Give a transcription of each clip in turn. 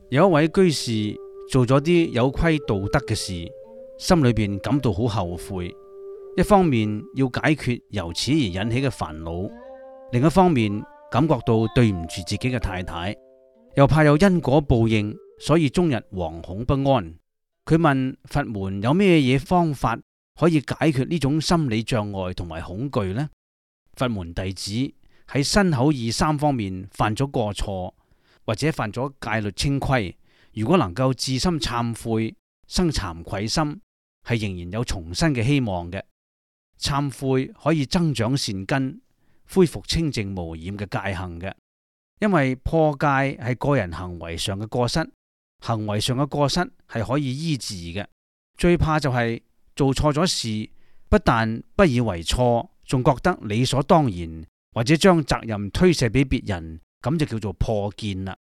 有一位居士做咗啲有虧道德嘅事，心裏邊感到好後悔。一方面要解決由此而引起嘅煩惱，另一方面感覺到對唔住自己嘅太太，又怕有因果報應，所以終日惶恐不安。佢問佛門有咩嘢方法可以解決呢種心理障礙同埋恐懼呢？佛門弟子喺身口意三方面犯咗過錯，或者犯咗戒律清規，如果能夠至心懺悔，生慚愧心，係仍然有重生嘅希望嘅。懺悔可以增長善根，恢復清淨無染嘅戒行嘅。因為破戒係個人行為上嘅過失，行為上嘅過失係可以醫治嘅。最怕就係做錯咗事，不但不以為錯，仲覺得理所當然，或者將責任推卸俾別人，咁就叫做破見啦。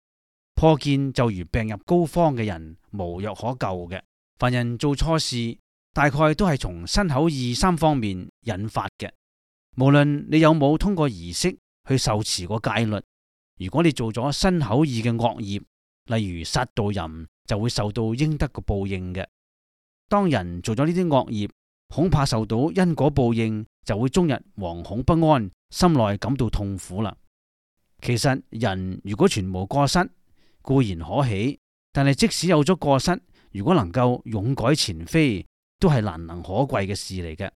破見就如病入膏肓嘅人，無藥可救嘅。凡人做錯事，大概都係從身口意三方面引發嘅。無論你有冇通過儀式去受持過戒律，如果你做咗身口意嘅惡業，例如殺盜淫，就會受到應得嘅報應嘅。當人做咗呢啲惡業，恐怕受到因果報應，就會終日惶恐不安，心內感到痛苦啦。其實人如果全無過失，固然可喜，但係即使有咗過失，如果能夠勇改前非，都係難能可貴嘅事嚟嘅。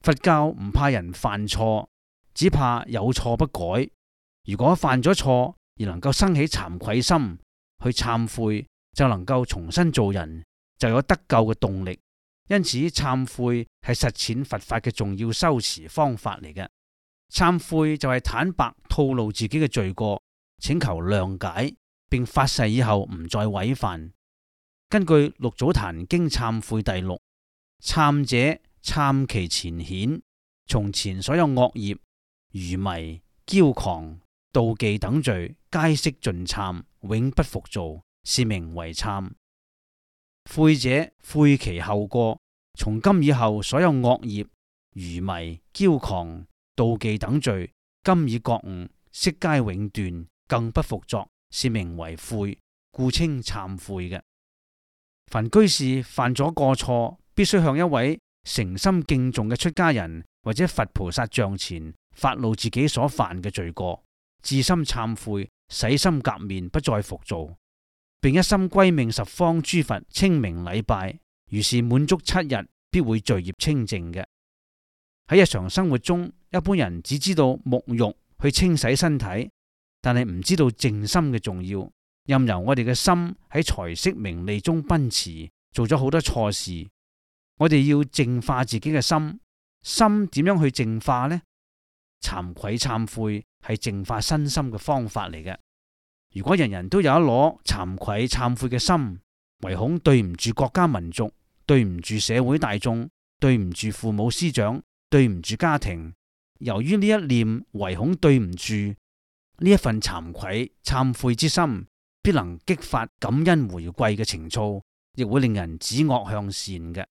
佛教唔怕人犯錯，只怕有錯不改。如果犯咗錯而能夠生起慚愧心，去懺悔，就能夠重新做人，就有得救嘅動力。因此懺悔係實踐佛法嘅重要修持方法嚟嘅。懺悔就係坦白吐露自己嘅罪過，請求諒解，並發誓以後唔再違犯。根據《六祖壇經懺悔》第六，懺者懺其前顯，從前所有惡業、愚迷、驕狂、妒忌等罪，皆悉盡懺，永不復造，是名為懺。悔者悔其後過，從今以後所有惡業、愚迷、驕狂、妒忌等罪，今已覺悟，悉皆永斷，更不復作，是名為悔，故稱懺悔嘅。凡居士犯咗過錯，必須向一位誠心敬重嘅出家人或者佛菩薩像前發露自己所犯嘅罪過，至心懺悔，洗心革面，不再復造，並一心歸命十方諸佛稱名禮拜，如是滿足7日，必會罪業清淨嘅。喺日常生活中，一般人只知道沐浴去清洗身體，但係唔知道靜心嘅重要。任由我哋嘅心喺財色名利中奔馳，做咗好多錯事。我哋要淨化自己嘅心，心點樣去淨化呢？慚愧懺悔係淨化身心嘅方法嚟嘅。如果人人都有一顆慚愧懺悔嘅心，唯恐對唔住國家民族，對唔住社會大眾，對唔住父母師長，對唔住家庭。由於呢一念唯恐對唔住，呢一份慚愧懺悔之心，必能激發感恩回饋嘅情操，亦會令人止惡向善嘅。